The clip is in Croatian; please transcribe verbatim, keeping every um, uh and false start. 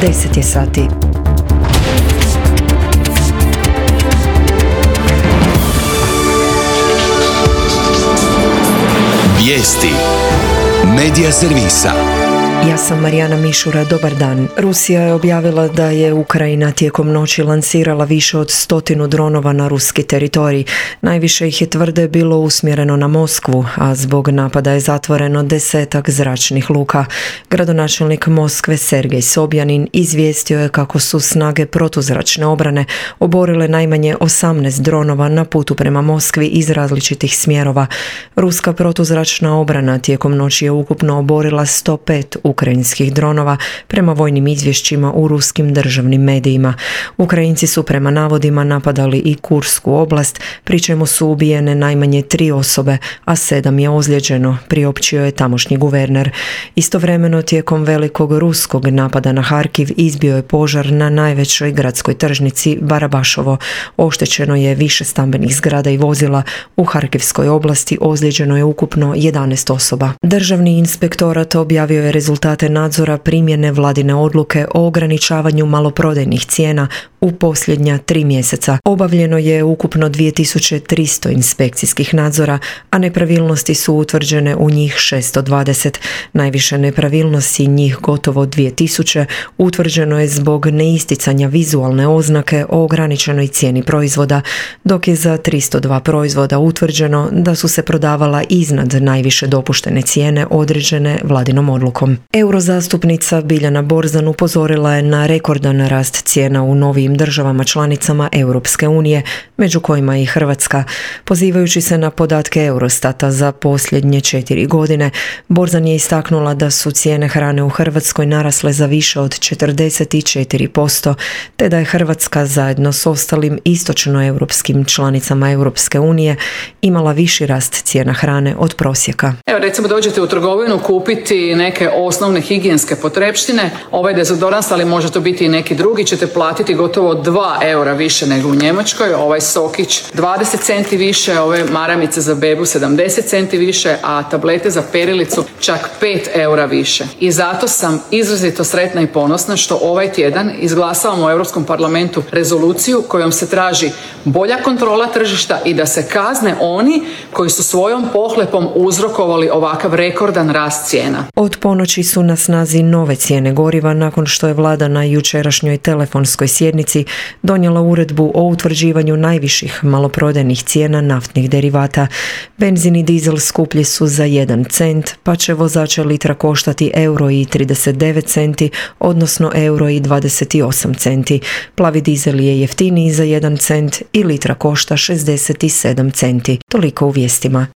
deset je sati. Vijesti Medija servisa. Ja sam Marijana Mišura, dobar dan. Rusija je objavila da je Ukrajina tijekom noći lansirala više od stotinu dronova na ruski teritorij. Najviše ih je, tvrde, bilo usmjereno na Moskvu, a zbog napada je zatvoreno desetak zračnih luka. Gradonačelnik Moskve Sergej Sobjanin izvijestio je kako su snage protuzračne obrane oborile najmanje osamnaest dronova na putu prema Moskvi iz različitih smjerova. Ruska protuzračna obrana tijekom noći je ukupno oborila sto pet ukrajinskih dronova prema vojnim izvješćima u ruskim državnim medijima. Ukrajinci su prema navodima napadali i Kursku oblast, pri čemu su ubijene najmanje tri osobe, a sedam je ozlijeđeno, priopćio je tamošnji guverner. Istovremeno, tijekom velikog ruskog napada na Harkiv izbio je požar na najvećoj gradskoj tržnici Barabašovo. Oštećeno je više stambenih zgrada i vozila. U Harkivskoj oblasti ozlijeđeno je ukupno jedanaest osoba. Državni inspektorat objavio je rezultate nadzora primjene vladine odluke o ograničavanju maloprodajnih cijena u posljednja tri mjeseca. Obavljeno je ukupno dvije tisuće tristo inspekcijskih nadzora, a nepravilnosti su utvrđene u njih šesto dvadeset. Najviše nepravilnosti, njih gotovo dvije tisuće, utvrđeno je zbog neisticanja vizualne oznake o ograničenoj cijeni proizvoda, dok je za tristo dva proizvoda utvrđeno da su se prodavala iznad najviše dopuštene cijene određene vladinom odlukom. Eurozastupnica Biljana Borzan upozorila je na rekordan rast cijena u novijim državama članicama Europske unije, među kojima i Hrvatska. Pozivajući se na podatke Eurostata za posljednje četiri godine, Borzan je istaknula da su cijene hrane u Hrvatskoj narasle za više od četrdeset četiri posto, te da je Hrvatska zajedno s ostalim istočnoeuropskim članicama Europske unije imala viši rast cijena hrane od prosjeka. Evo, recimo dođete u trgovinu kupiti neke osnovne higijenske potrepštine, ovaj dezodorans, ali može to biti i neki drugi, ćete platiti gotovo dva eura više nego u Njemačkoj, ovaj sokić dvadeset centi više, ove maramice za bebu sedamdeset centi više, a tablete za perilicu čak pet eura više. I zato sam izrazito sretna i ponosna što ovaj tjedan izglasavamo u Europskom parlamentu rezoluciju kojom se traži bolja kontrola tržišta i da se kazne oni koji su svojom pohlepom uzrokovali ovakav rekordan rast cijena. Od ponoći su na snazi nove cijene goriva nakon što je vlada na jučerašnjoj telefonskoj sjednici donijela uredbu o utvrđivanju najviših maloprodajnih cijena naftnih derivata. Benzin i dizel skuplji su za jedan cent, pa će vozača litra koštati euro i trideset devet centi, odnosno euro i dvadeset osam centi. Plavi dizel je jeftiniji za jedan cent i litra košta šezdeset sedam centi. Toliko u vijestima.